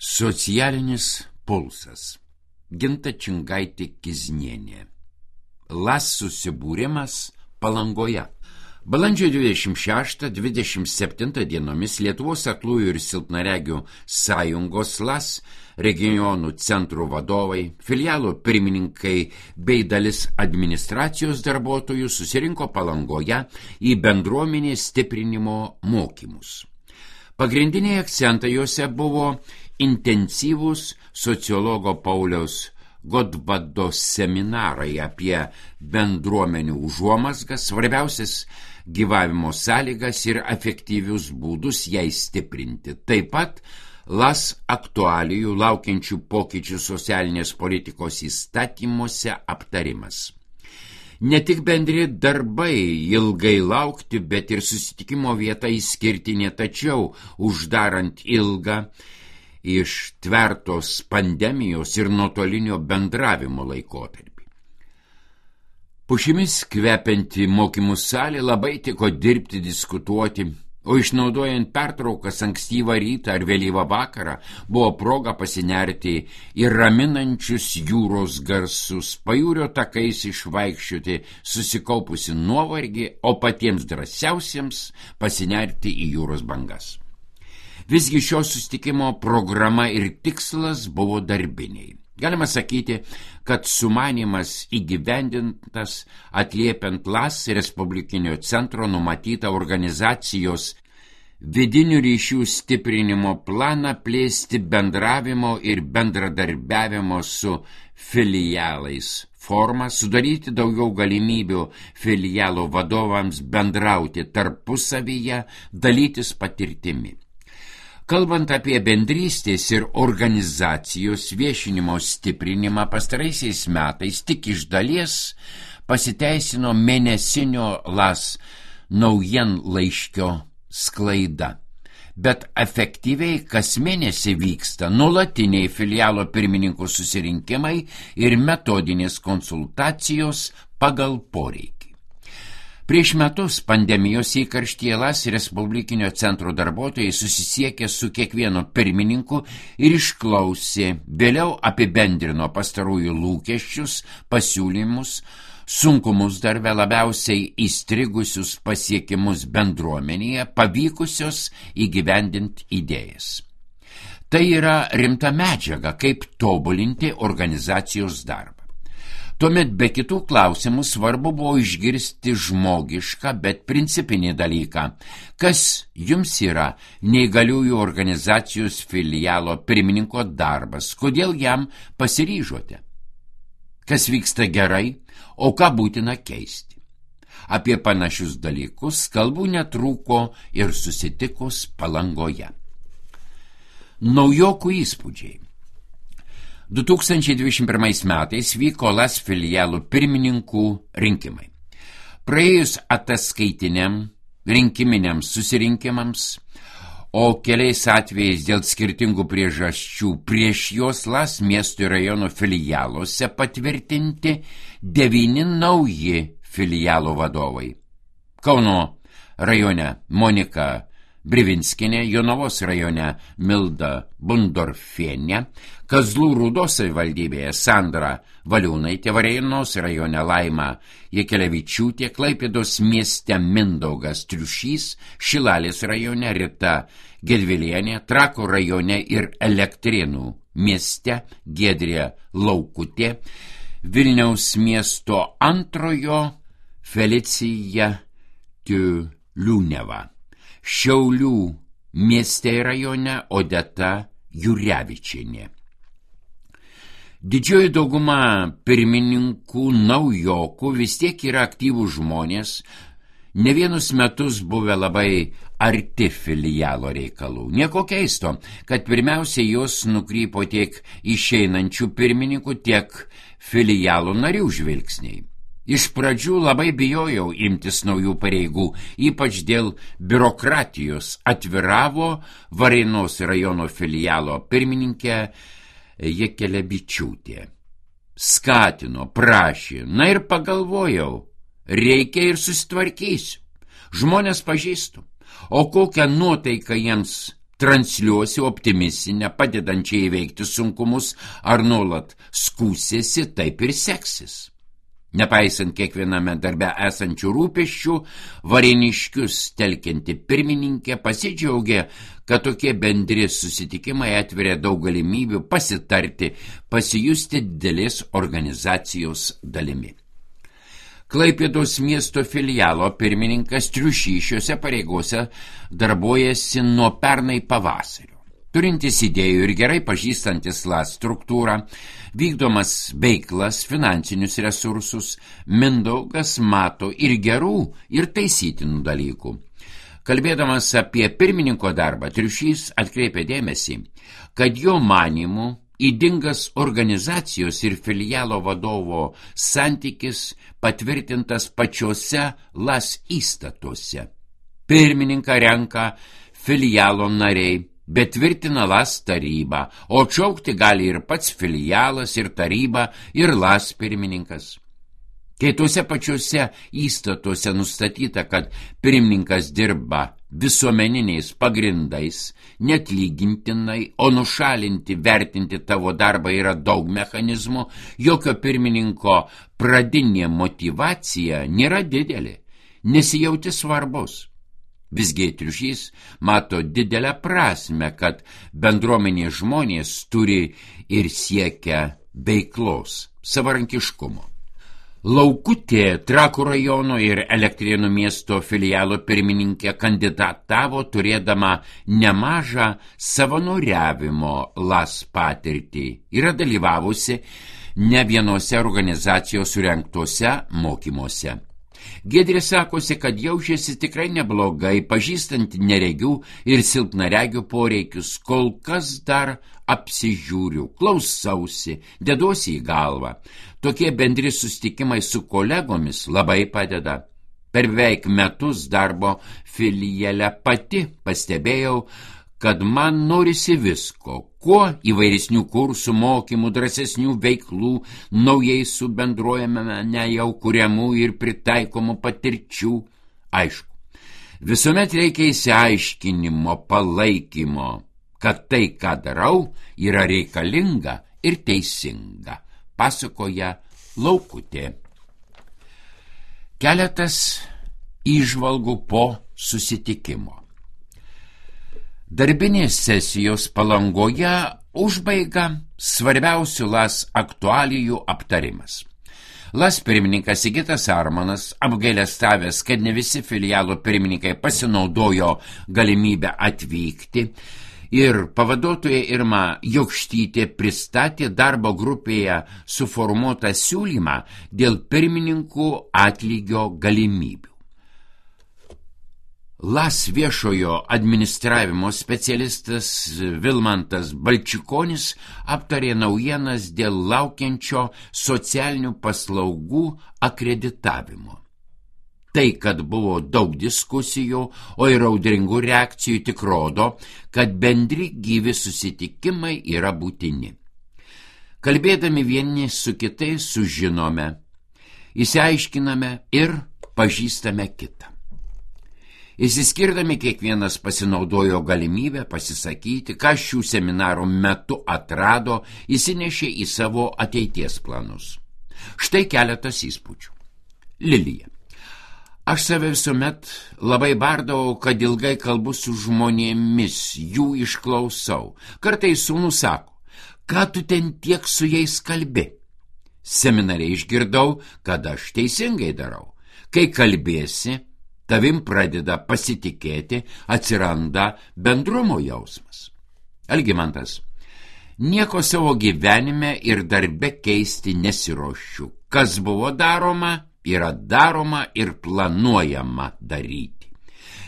Socialinis pulsas. Ginta Čingaitė Kiznienė. LAS susibūrimas Palangoje. Balandžio 26-27 dienomis Lietuvos aklųjų ir silpnaregių sąjungos LAS regionų centrų vadovai, filialų pirmininkai bei dalis administracijos darbuotojų susirinko Palangoje į bendruomenės stiprinimo mokymus. Pagrindiniai akcentai juose buvo intensyvūs sociologo Pauliaus Godvado seminarai apie bendruomenių užuomazgas, svarbiausias gyvavimo sąlygas ir efektyvius būdus jai stiprinti. Taip pat LAS aktualijų laukiančių pokyčių socialinės politikos įstatymuose aptarimas. Ne tik bendri darbai ilgai laukti, bet ir susitikimo vieta išskirtinė, tačiau uždarant ilgą ištvertos pandemijos ir nuotolinio bendravimo laikotarpį. Pušimis kvepianti mokymų salė labai tiko dirbti, diskutuoti, o išnaudojant pertraukas ankstyvą rytą ar vėlyvą vakarą buvo proga pasinerti į raminančius jūros garsus, pajūrio takais išvaikščioti susikaupusi nuovargį, o patiems drąsiausiems pasinerti į jūros bangas. Visgi šio susitikimo programa ir tikslas buvo darbiniai. Galima sakyti, kad sumanymas įgyvendintas atliepiant LAS Respublikinio centro numatytą organizacijos vidinių ryšių stiprinimo planą plėsti bendravimo ir bendradarbiavimo su filialais formą, sudaryti daugiau galimybių filialų vadovams bendrauti tarpusavyje, dalytis patirtimi. Kalbant apie bendrystės ir organizacijos viešinimo stiprinimą, pastaraisiais metais tik iš dalies pasiteisino mėnesinio LAS naujienlaiškio sklaida. Bet efektyviai kas mėnesį vyksta nuolatiniai filialo pirmininkų susirinkimai ir metodinės konsultacijos pagal poreikį. Prieš metus pandemijos įkarštyje LAS Respublikinio centro darbuotojai susisiekė su kiekvienu pirmininku ir išklausė, vėliau apibendrino pastarųjų lūkesčius, pasiūlymus, sunkumus darbe, labiausiai įstrigusius pasiekimus bendruomenėje, pavykusios įgyvendinti idėjas. Tai yra rimta medžiaga, kaip tobulinti organizacijos darbą. Tuomet be kitų klausimų svarbu buvo išgirsti žmogišką, bet principinį dalyką. Kas jums yra neįgaliųjų organizacijos filialo pirmininko darbas? Kodėl jam pasiryžote? Kas vyksta gerai, o ką būtina keisti? Apie panašius dalykus kalbų netrūko ir susitikus Palangoje. Naujokų įspūdžiai. 2021 metais vyko LAS filialų pirmininkų rinkimai. Praėjus ataskaitiniam rinkiminiams susirinkimams, o keliais atvejais dėl skirtingų priežasčių prieš juos LAS miestų ir rajonų filialuose patvirtinti 9 nauji filialų vadovai. Kauno rajone Monika Brivinskinė, Jonavos rajone Milda Bundorfienė, Kazlų Rūdos savivaldybėje Sandra Valiūnaitė, Varėnos rajone Laima Jekelevičiūtė, Klaipėdos mieste Mindaugas Triušys, Šilalės rajone Rita Gedvilienė, Trakų rajone ir Elektrėnų mieste Giedrė Laukutė, Vilniaus miesto antrojo Felicija Tiuliūneva, Šiaulių mieste ir rajone Odeta Jurevičienė. Didžioji dauguma pirmininkų naujokų vis tiek yra aktyvūs žmonės, ne vienus metus buvę labai arti filialo reikalų. Nieko keisto, kad pirmiausia jos nukrypo tiek išeinančių pirmininkų, tiek filialo narių žvilgsniai. Iš pradžių labai bijojau imtis naujų pareigų, ypač dėl biurokratijos, atviravo Varėnos rajono filialo pirmininkė Jekelevičiūtė. Skatino, prašė, na ir pagalvojau, reikia ir susitvarkysiu. Žmonės pažįstu, o kokią nuotaiką jiems transliuosi optimistinę, padedančią įveikti sunkumus, ar nuolat skūsiesi, taip ir seksis. Nepaisant kiekviename darbe esančių rūpesčių, Varėniškius telkianti pirmininkė pasidžiaugė, kad tokie bendri susitikimai atveria daug galimybių pasitarti, pasijusti didelės organizacijos dalimi. Klaipėdos miesto filialo pirmininkas Triušys šiose pareigose darbuojasi nuo pernai pavasario. Turintis idėjų ir gerai pažįstantis LAS struktūrą, vykdomas veiklas, finansinius resursus, Mindaugas mato ir gerų, ir taisytinų dalykų. Kalbėdamas apie pirmininko darbą, Triušys atkreipė dėmesį, kad jo manymu ydingas organizacijos ir filialo vadovo santykis patvirtintas pačiose LAS įstatuose. Pirmininką renka filialo nariai, bet tvirtina LAS taryba, o atšaukti gali ir pats filialas, ir taryba, ir LAS pirmininkas. Kai tuose pačiuose įstatuose nustatyta, kad pirmininkas dirba visuomeniniais pagrindais, neatlygintinai, o nušalinti, vertinti tavo darbą yra daug mechanizmų, jokio pirmininko pradinė motyvacija nėra didelė, nesijauti svarbus. Visgi Triušys mato didelę prasmę, kad bendruomenės žmonės turi ir siekia veiklos, savarankiškumo. Laukutė Trakų rajono ir Elektrėnų miesto filialo pirmininkė kandidatavo turėdama nemažą savanoriavimo LAS patirtį. Yra dalyvavusi ne vienose organizacijos surengtuose mokymuose. Giedrė sakosi, kad jaučiasi tikrai neblogai, pažįstant neregių ir silpnaregių poreikius, kol kas dar apsižiūriu, klausausi, deduosi į galvą. Tokie bendri susitikimai su kolegomis labai padeda. Per beveik metus darbo filiale pati pastebėjau, kad man norisi visko, kuo įvairesnių kursų, mokymų, drąsesnių veiklų, naujai subendruojame nejau kuriamų ir pritaikomų patirčių. Aišku, visuomet reikia įsiaiškinimo, palaikymo, kad tai, ką darau, yra reikalinga ir teisinga, pasakoja Laukutė. Keletas įžvalgų po susitikimo. Darbinės sesijos Palangoje užbaiga svarbiausių LAS aktualijų aptarimas. LAS pirmininkas Sigitas Armanas, apgailestavęs, kad ne visi filialo pirmininkai pasinaudojo galimybę atvykti, ir pavaduotoja Irma Jokštytė pristatė darbo grupėje suformuotą siūlymą dėl pirmininkų atlygio galimybių. LAS viešojo administravimo specialistas Vilmantas Balčikonis aptarė naujienas dėl laukiančio socialinių paslaugų akreditavimo. Tai, kad buvo daug diskusijų, o ir audringų reakcijų, tik rodo, kad bendri gyvi susitikimai yra būtini. Kalbėdami vieni su kitais sužinome, išsiaiškiname ir pažįstame kitą. Išsiskirdami kiekvienas pasinaudojo galimybę pasisakyti, ką šių seminarų metu atrado, įsinešė į savo ateities planus. Štai keletas įspūdžių. Lilija. Aš save visuomet labai bardavau, kad ilgai kalbu su žmonėmis, jų išklausau. Kartais sūnus sako, ką tu ten tiek su jais kalbi? Seminare išgirdau, kad aš teisingai darau. Kai kalbėsi, tavim pradeda pasitikėti, atsiranda bendrumo jausmas. Algimantas. Nieko savo gyvenime ir darbe keisti nesiruošiu. Kas buvo daroma, yra daroma ir planuojama daryti.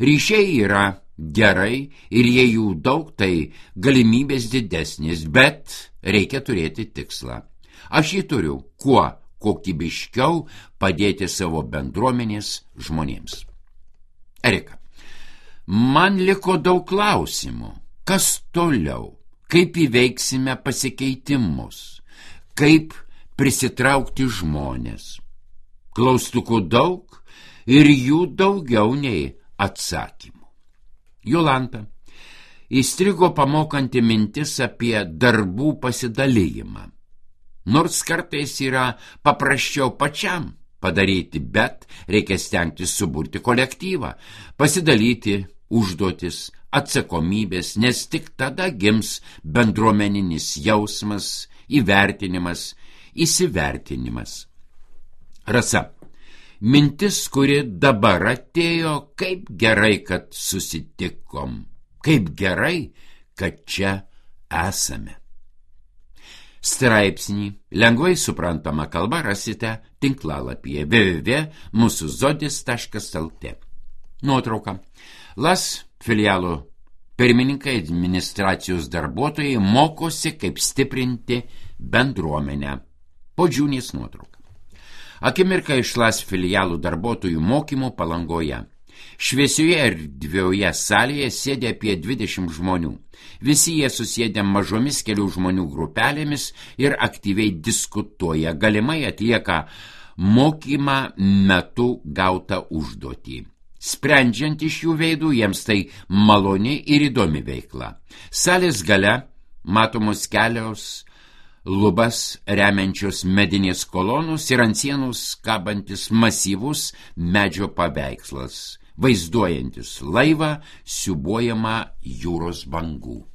Ryšiai yra gerai ir jei jų daug, tai galimybės didesnės, bet reikia turėti tikslą. Aš jį turiu, kuo kokybiškiau padėti savo bendruomenės žmonėms. Erika, man liko daug klausimų. Kas toliau? Kaip įveiksime pasikeitimus? Kaip prisitraukti žmonės? Klaustukų daug ir jų daugiau nei atsakymų. Jolanta, įstrigo pamokanti mintis apie darbų pasidalijimą. Nors kartais yra paprasčiau pačiam padaryti, bet reikia stengtis suburti kolektyvą, pasidalyti užduotis, atsakomybės, nes tik tada gims bendruomeninis jausmas, įvertinimas, įsivertinimas. Rasa, mintis, kuri dabar atėjo, kaip gerai, kad susitikom, kaip gerai, kad čia esame. Straipsnį lengvai suprantama kalba rasite tinklalapyje www.musuzodis.lt. Nuotrauka. LAS filialo pirmininkai, administracijos darbuotojai mokosi, kaip stiprinti bendruomenę. Podžiūnės nuotrauka. Akimirka iš LAS filialų darbuotojų mokymų Palangoje. Šviesioje erdvioje salėje sėdė apie 20 žmonių. Visi jie susėdę mažomis kelių žmonių grupelėmis ir aktyviai diskutuoja, galimai atlieka mokymą metu gautą užduotį. Sprendžiant iš jų veidų, jiems tai maloni ir įdomi veikla. Salės gale matomos kelios lubas remiančios medinės kolonos ir ant sienos kabantis masyvus medžio paveikslas, vaizduojantis laivą siūbuojamą jūros bangų.